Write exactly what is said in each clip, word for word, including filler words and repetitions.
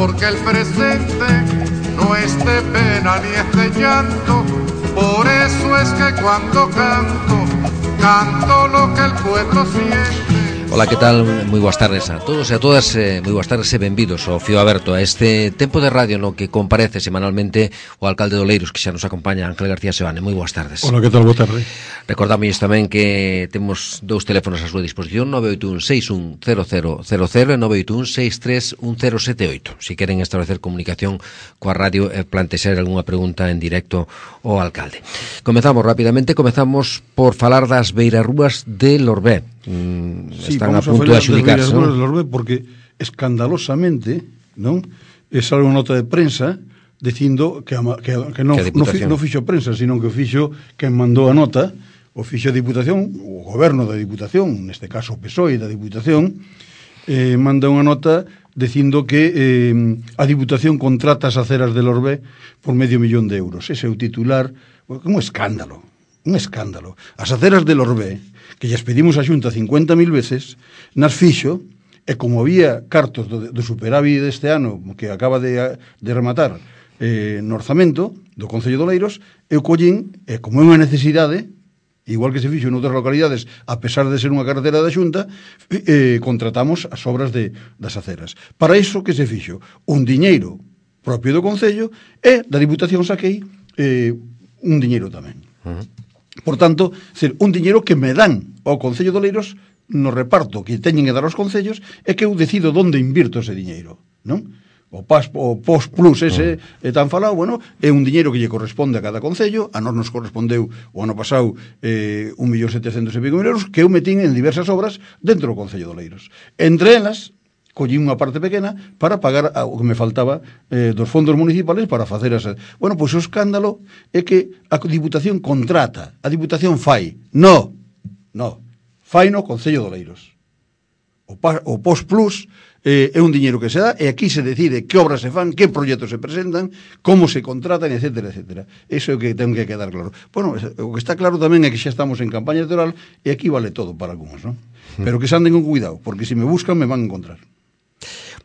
porque el presente no es de pena ni es de llanto. Por eso es que cuando canto, canto lo que el pueblo siente. Ola, que tal? Moi boas tardes a todos e a todas, eh, moi boas tardes e benvidos ao Fío Aberto, a este tempo de radio no que comparece semanalmente o alcalde de Oleiros, que xa nos acompaña, Ángel García Sebane. Moi boas tardes. Ola, que tal? Boa tarde. Recordamos tamén que temos dous teléfonos a súa disposición, nove oito un seis un cero cero cero cero e nove oito un seis tres un cero sete oito. Si queren establecer comunicación coa radio e plantexar algunha pregunta en directo ao alcalde. Comezamos rapidamente, comezamos por falar das beirarrúas de Lorbé. Mm, sí, están a punto de adjudicarse, ¿no? Lorbé, porque escandalosamente, non? É sale unha nota de prensa dicindo que, a, que, que non, que non, fi, non fixo prensa, sino que fixo quen mandou a nota, o fixo a Diputación, o goberno da Diputación, neste caso o P S O E da Diputación, eh, manda unha nota dicindo que eh, a Diputación contrata as aceras de Lorbé por medio millón de euros. Ese é o titular, un escándalo, un escándalo. As aceras de Lorbé, que lles pedimos a Xunta cincuenta mil veces, nas fixo, e como había cartos do, do superávit deste ano que acaba de, de rematar eh, no orzamento do Concello de Oleiros, eu collín, e como é unha necesidade, igual que se fixo en outras localidades, a pesar de ser unha carretera da Xunta, eh, contratamos as obras de, das aceras. Para iso que se fixo? Un diñeiro propio do Concello e da Diputación saquei eh, un diñeiro tamén. Uh-huh. Por tanto, ser un diñeiro que me dan ao Concello de Oleiros no reparto que teñen que dar aos concellos e que eu decido onde invirto ese diñeiro, non? O, P A S, o P O S Plus ese uh-huh. é tan falado, bueno, é un diñeiro que lle corresponde a cada concello. A nós nos correspondeu o ano pasado eh, un millón setecentos e pico mil euros que eu metín en diversas obras dentro do Concello de Oleiros. Entre elas, collí unha parte pequena para pagar o que me faltaba eh, dos fondos municipales para facer esa... Bueno, pois o escándalo é que a Diputación contrata, a Diputación fai. No, no, fai no Concello de Oleiros. O, pa, o P O S Plus eh, é un diñeiro que se dá e aquí se decide que obras se fan, que proxectos se presentan, como se contratan, etcétera, etcétera. Eso é o que ten que quedar claro. Bueno, o que está claro tamén é que xa estamos en campaña electoral e aquí vale todo para algúns, non? Pero que se anden con cuidado, porque se me buscan me van a encontrar.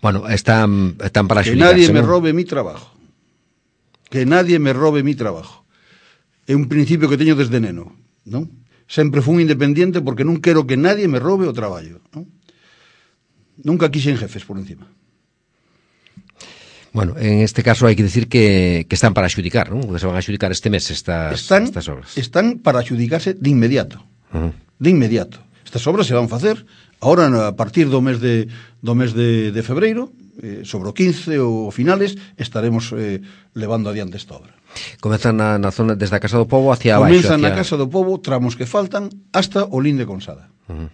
Bueno, están, están para que nadie me ¿no? robe mi trabajo. Que nadie me robe mi trabajo. É un principio que teño desde neno, non? Sempre fui independiente porque non quero que nadie me robe o traballo, non? Nunca quixen jefes por encima. Bueno, en este caso hai que decir que, que están para adxudicar, non? Que se van a adxudicar este mes estas, están, estas obras. Están para adxudicarse de inmediato. Uh-huh. De inmediato. Estas obras se van facer ahora a partir do mes de do mes de, de febreiro, eh, sobre o quince ou finales estaremos eh, levando adiante esta obra. Comezan na, na zona desde a Casa do Pobo hacia abaixo. Comezan hacia... na Casa do Pobo, tramos que faltan hasta o Linde Consada. Uh-huh.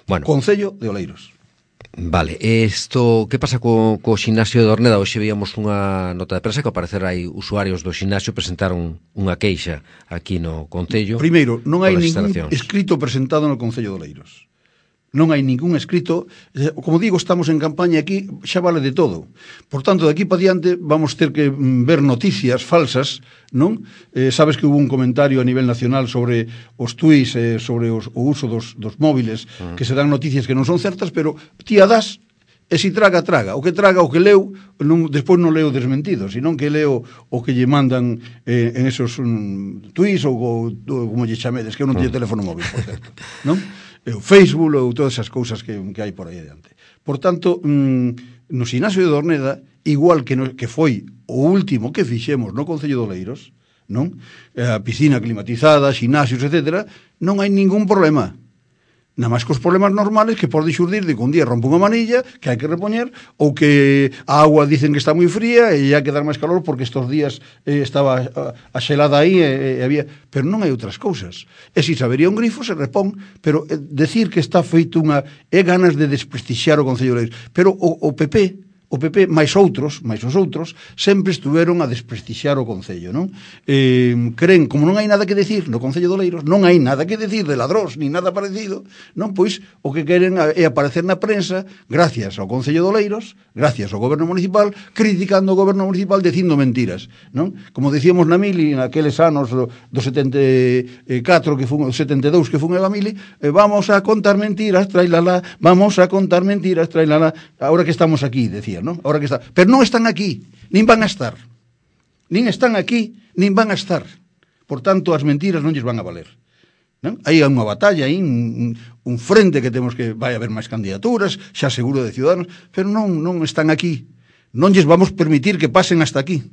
Bueno. Concello de Oleiros. Vale, isto, que pasa co, co ximnasio de Orneda? Hoxe veíamos unha nota de prensa que ao parecer hai usuarios do ximnasio presentaron unha queixa aquí no Concello. Primeiro, non hai ningún escrito presentado no Concello de Oleiros. Non hai ningún escrito, como digo, estamos en campaña aquí, xa vale de todo. Por tanto, de aquí para diante vamos ter que ver noticias falsas, non? Eh, sabes que hubo un comentario a nivel nacional sobre os tuits, eh, sobre os, o uso dos, dos móviles, uh-huh. que se dan noticias que non son certas, pero ti a das, e si traga, traga. O que traga, o que leu, non, despois non leo desmentido, senón que leo o que lle mandan eh, en esos um, tuits ou, ou, ou como lle chamedes, que eu non teño uh-huh. teléfono móvil, por certo, non? O Facebook ou todas esas cousas que, que hai por aí adiante. Por tanto, mmm, no ximnasio de Orneda, igual que, no, que foi o último que fixemos no Concello de Oleiros, non? A piscina climatizada, ximnasios, etcétera, non hai ningún problema. Nada máis cos problemas normales que pode xurdir de que un día rompe unha manilla que hai que repoñer, ou que a agua dicen que está moi fría e hai que dar máis calor porque estos días eh, estaba a, a xelada aí e, e había... Pero non hai outras cousas. E se sabería un grifo se repón, pero eh, decir que está feito unha... é ganas de desprestixiar o Concello de Oleiros. Pero o, o P P... O P P, máis outros, máis os outros, sempre estuveron a desprestixiar o Concello, non? Eh, creen, como non hai nada que decir no Concello de Oleiros, non hai nada que decir de ladróns, ni nada parecido, non? Pois, o que queren é aparecer na prensa, gracias ao Concello de Oleiros, gracias ao goberno municipal, criticando o goberno municipal, dicindo mentiras, non? Como decíamos na Mili, naqueles anos do, do setenta e catro, que fun, setenta e dous que fun a Mili, eh, vamos a contar mentiras, trailala, vamos a contar mentiras, trailala, ahora que estamos aquí, decía. día, non? Ahora que está. Pero non están aquí, nin van a estar. Nin están aquí, nin van a estar. Por tanto, as mentiras non lles van a valer. Non? Hai unha batalla, aí un, un frente que temos que vai haber máis candidaturas, xa seguro de Ciudadanos, pero non, non están aquí. Non lles vamos permitir que pasen hasta aquí.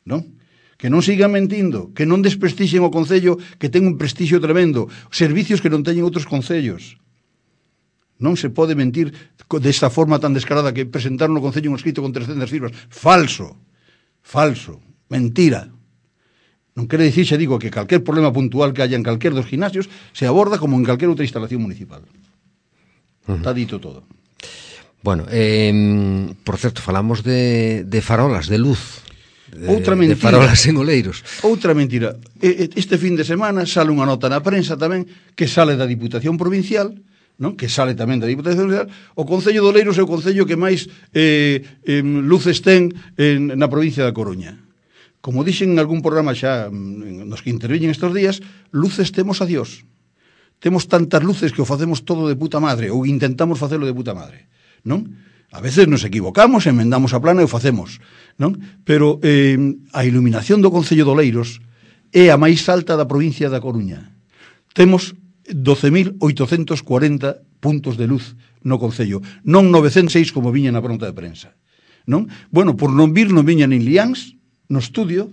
Non? Que non sigan mentindo, que non desprestixen o Concello, que ten un prestixio tremendo, servicios que non teñen outros concellos. Non se pode mentir desta forma tan descarada que presentar no Concello un escrito con trescentas firmas. Falso, falso, mentira. Non quere dicir, xa digo, que calquer problema puntual que haya en calquer dos gimnasios se aborda como en calquer outra instalación municipal. Uh-huh. Está dito todo. Bueno, eh, por certo, falamos de, de farolas, de luz. De, outra mentira. De farolas en Oleiros. Outra mentira. Este fin de semana sale unha nota na prensa tamén que sale da Diputación Provincial, non? Que sale tamén da Diputación Provincial. O Concello de Oleiros é o concello que máis eh, eh, luces ten en, na provincia da Coruña. Como dixen en algún programa xa nos que interviñen estes días, luces temos a Dios. Temos tantas luces que o facemos todo de puta madre, ou intentamos facelo de puta madre, non? A veces nos equivocamos, enmendamos a plana e o facemos, non? Pero eh, a iluminación do Concello de Oleiros é a máis alta da provincia da Coruña. Temos doce mil oitocentos cuarenta puntos de luz no Concello, non novecentos e seis como viña na pronta de prensa, non? Bueno, por non vir non viña nin Liáns no estudio,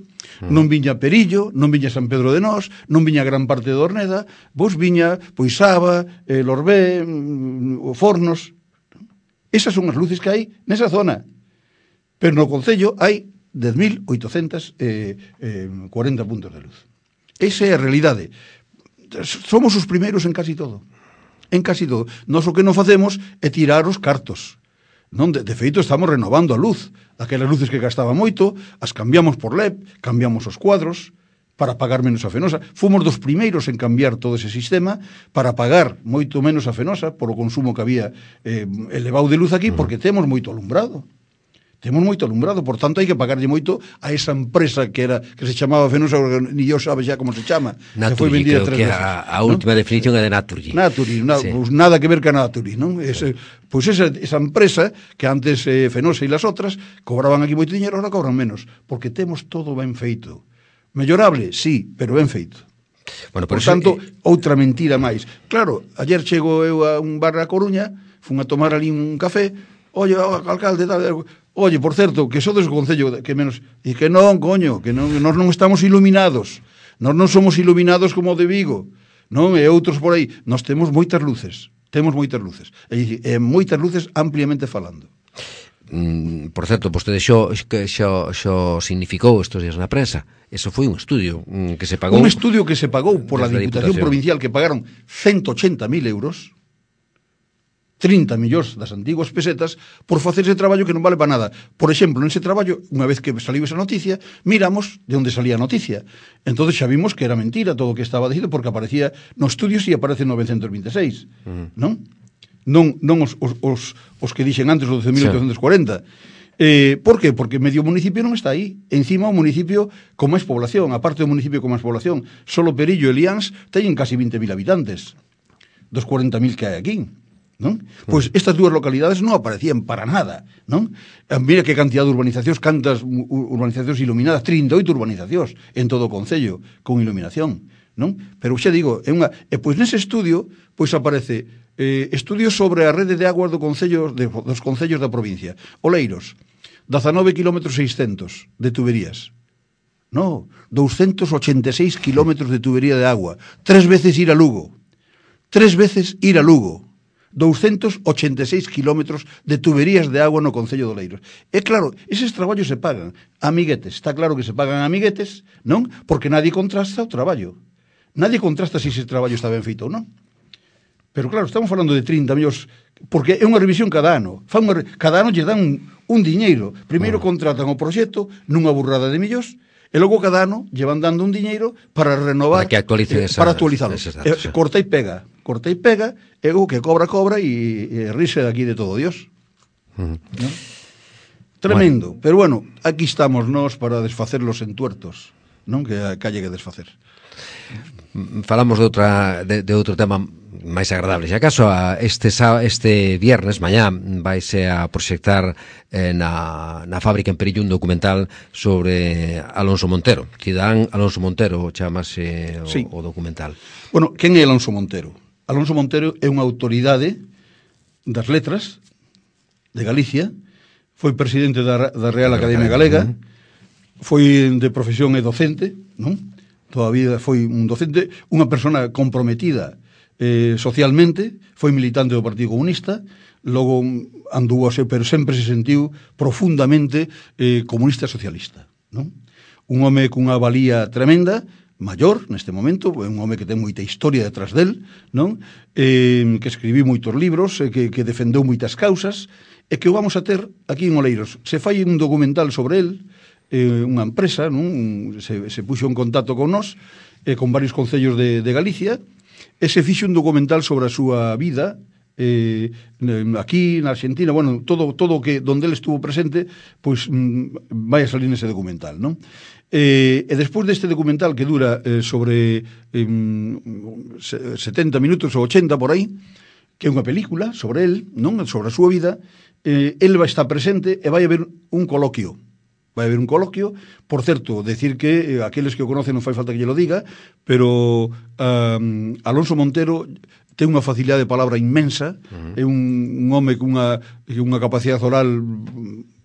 non viña Perillo, non viña San Pedro de Nós, non viña gran parte de Orneda, vos viña Poisaba, eh, Lorbé, mm, Fornos. Esas son as luces que hai nesa zona. Pero no Concello hai dez mil oitocentos cuarenta puntos de luz. Esa é a realidade. Somos os primeiros en casi todo. En casi todo. Nos o que non facemos é tirar os cartos. Non, de, de feito, estamos renovando a luz. Aquelas luces que gastaba moito, as cambiamos por L E P, cambiamos os cuadros para pagar menos a Fenosa. Fomos dos primeiros en cambiar todo ese sistema para pagar moito menos a Fenosa por o consumo que había eh, elevado de luz aquí, porque temos moito alumbrado. Temos moito alumbrado, por tanto hai que pagarlle moito a esa empresa que era que se chamaba Fenosa, ni yo sabe xa como se chama. Naturgy, que creo que a, a última, ¿no? Definición é de Naturgy. Naturgy, na, sí. Pues nada que ver con Naturgy, non? Ese, pois pues esa, esa empresa que antes eh, Fenosa e las outras cobraban aquí moito dinero, ahora cobran menos, porque temos todo ben feito. Mellorable, sí, pero ben feito. Bueno, por, por tanto, eh... outra mentira máis. Claro, ayer chego eu a un bar a Coruña, fun a tomar ali un café, oye, oh, alcalde, tal, oye, por certo, que sodes o concello que menos... E que non, coño, que non, nós non estamos iluminados. Nós non somos iluminados como o de Vigo, non? E outros por aí. Nós temos moitas luces. Temos moitas luces. E, e moitas luces ampliamente falando. Mm, por certo, vostede xo, xo, xo significou estes días na prensa. Eso foi un estudio mm, que se pagou... Un estudio que se pagou por la Diputación, Diputación Provincial, que pagaron ciento ochenta mil euros... trinta millóns das antiguas pesetas por facer ese traballo que non vale para nada. Por exemplo, nese traballo, unha vez que saliu esa noticia, miramos de onde salía a noticia. Entonces xa vimos que era mentira todo o que estaba dicindo, porque aparecía no estudio si aparece novecentos vinte e seis, uh-huh. non? Non, non os, os, os, os que dixen antes, os doce mil oitocentos cuarenta. Eh, por que? Porque medio municipio non está aí. Encima o municipio con máis población, aparte do municipio con máis población, solo Perillo e Liáns teñen casi vinte mil habitantes dos cuarenta mil que hai aquí, non? Pois estas dúas localidades non aparecían para nada, non? Mira que cantidad de urbanizacións, cantas urbanizacións iluminadas, trinta e oito urbanizacións en todo o concello con iluminación, non? Pero xa digo, é unha, e pois nese estudio pois aparece eh, estudios sobre a rede de aguas do concello, de, dos concellos da provincia. Oleiros, dezanove kilómetros seiscentos de tuberías. No, doscientos ochenta e seis kilómetros de tubería de agua. Tres veces ir a Lugo. Tres veces ir a Lugo. doscientos ochenta e seis kilómetros de tuberías de agua no concello de Oleiros. E claro, eses traballos se pagan a amiguetes. Está claro que se pagan a amiguetes, non? Porque nadie contrasta o traballo. Nadie contrasta se ese traballo está ben feito ou non. Pero claro, estamos falando de trinta millóns, porque é unha revisión cada ano. Fan unha, cada ano lle dan un, un diñeiro. Primeiro contratan o proxecto nunha burrada de millóns, e logo cada ano llevan dando un diñeiro para renovar, para que actualicen esa, para actualizalo. Datos, eh, corta e pega, corta e pega, e o que cobra, cobra, e, e rise de aquí de todo Dios. Uh-huh. ¿No? Tremendo, bueno. Pero bueno, aquí estamos nós para desfacer los entuertos. non? Que, que halle que desfacer. Falamos de outra de, de outro tema máis agradable. Se acaso a este este viernes mañá vaise a proxectar eh, na, na fábrica en Perillo un documental sobre Alonso Montero. Cidadán Alonso Montero chamase o, sí. o documental. Bueno, quen é Alonso Montero? Alonso Montero é unha autoridade das letras de Galicia, foi presidente da, da Real Academia Galega, foi de profesión e docente, non? Todavía foi un docente, unha persona comprometida eh, socialmente, foi militante do Partido Comunista, logo andou, pero sempre se sentiu profundamente eh, comunista socialista, non? Un home cunha valía tremenda, maior neste momento, é un home que ten moita historia detrás del, non? Eh, que escribiu moitos libros, eh, que, que defendeu moitas causas, e que o vamos a ter aquí en Oleiros. Se fai un documental sobre el, eh, unha empresa, non? Se, se puxo en contacto con nós, eh, con varios concellos de, de Galicia, e se fixe un documental sobre a súa vida, eh, aquí na Argentina, bueno, todo todo que donde ele estuvo presente, pois mm, vai a salir nese documental, non? Eh, e despois deste documental que dura eh, sobre eh, setenta minutos ou ochenta por aí, que é unha película sobre el, non? Sobre a súa vida, eh, el vai estar presente e vai haber un coloquio. Vai haber un coloquio, por certo, decir que eh, aqueles que o conocen non fai falta que lle lo diga, pero um, Alonso Montero ten unha facilidade de palabra inmensa, uh-huh. é un, un home cunha, unha capacidade oral,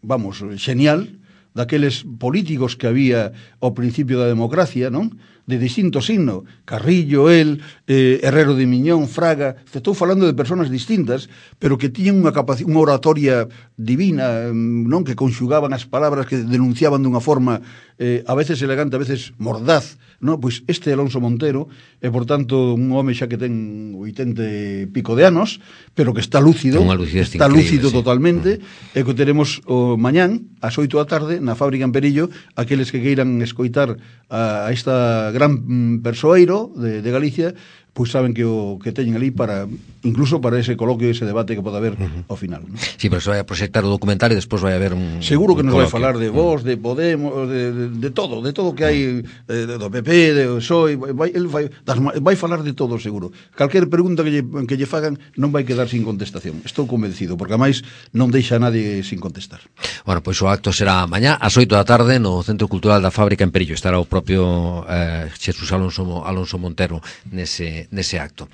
vamos, genial, daqueles políticos que había ao principio da democracia, non? De distinto signo, Carrillo, el, eh, Herrero de Miñón, Fraga, estou falando de persoas distintas, pero que tiñen unha capacidade, unha oratoria divina, non? Que conxugaban as palabras, que denunciaban dunha forma eh, a veces elegante, a veces mordaz, non? Pois este Alonso Montero é, por tanto, un home xa que ten oitenta e pico de anos, pero que está lúcido, está lúcido sí. totalmente, uh-huh. e que teremos o mañán, ás oito da tarde, na fábrica en Perillo, aqueles que queiran escoitar a, a esta gran persoeiro de, de Galicia, pois saben que o que teñen ali para, incluso para ese coloquio, ese debate que pode haber uh-huh. ao final, ¿no? Sí, pero se vai a proxectar o documental e despois vai haber un seguro que un nos coloquio. Vai falar de Vox, de Podemos, de, de, de todo, de todo que hai, de, do P P, de P S O E, vai, el vai, das, vai falar de todo seguro. Calquer pregunta que lle, que lle fagan non vai quedar sin contestación. Estou convencido, porque a máis non deixa a nadie sin contestar. Bueno, pois o acto será mañá ás oito da tarde no Centro Cultural da Fábrica en Perillo. Estará o propio eh, Xesús Alonso, Alonso Montero nese, nese acto.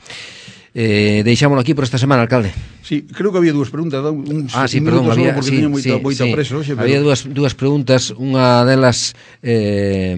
Eh, deixámoslo aquí por esta semana, alcalde. Sí, creo que había dúas preguntas, un, ah, sí, perdón, había, porque sí, tiña moita, sí, moita sí. preso, oxe, pero... había dúas, dúas preguntas, unha delas eh,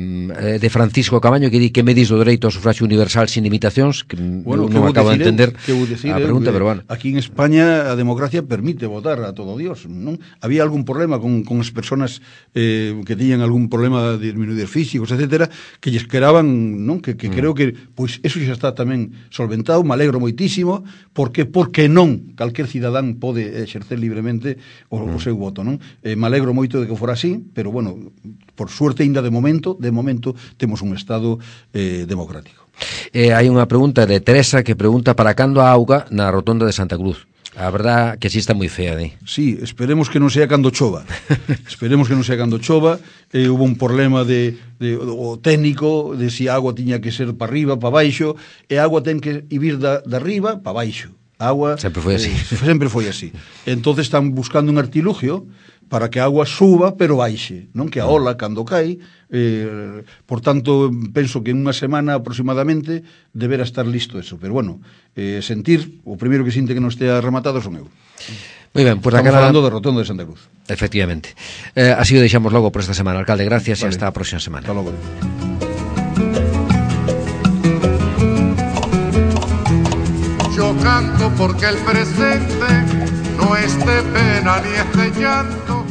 de Francisco Camaño, que di que me dis do dereito ao sufragio universal sin limitacións, que bueno, non acabo de entender decir, a pregunta, eh, pero bueno. Aquí en España a democracia permite votar a todo Dios, non? Había algún problema con, con as persoas eh, que tiñan algún problema de disminuir físicos, etcétera, que lles queraban, non? Que, que mm. creo que, pois, eso xa está tamén solventado, me alegro moitísimo, porque porque non calquer cidadán pode exercer libremente o, mm. o seu voto, non? Eh, me alegro moito de que fora así, pero bueno, por suerte ainda de momento, de momento temos un estado eh, democrático. Eh, hai unha pregunta de Teresa que pregunta para cando a auga na rotonda de Santa Cruz. A verdad que así está moi fea, ¿eh? Sí, esperemos que non sea cando chova. Esperemos que non sea cando chova. Eh, hubo un problema de, de o técnico de si a agua tiña que ser para arriba, para baixo, e a agua ten que ir da, da arriba para baixo. A agua sempre foi así. Eh, sempre foi así. Entonces están buscando un artilugio para que a agua suba pero baixe, non? Que a ola cando cai, eh, por tanto, penso que en unha semana aproximadamente deberá estar listo eso, pero bueno, eh, sentir, o primeiro que sinte que non estea rematado son eu. Moi ben, pues estamos falando de Rotonda de Santa Cruz. Efectivamente. Eh, así o deixamos logo por esta semana, alcalde. Gracias vale. E hasta a próxima semana. Hasta logo. Yo canto porque el presente no es de pena ni es de llanto.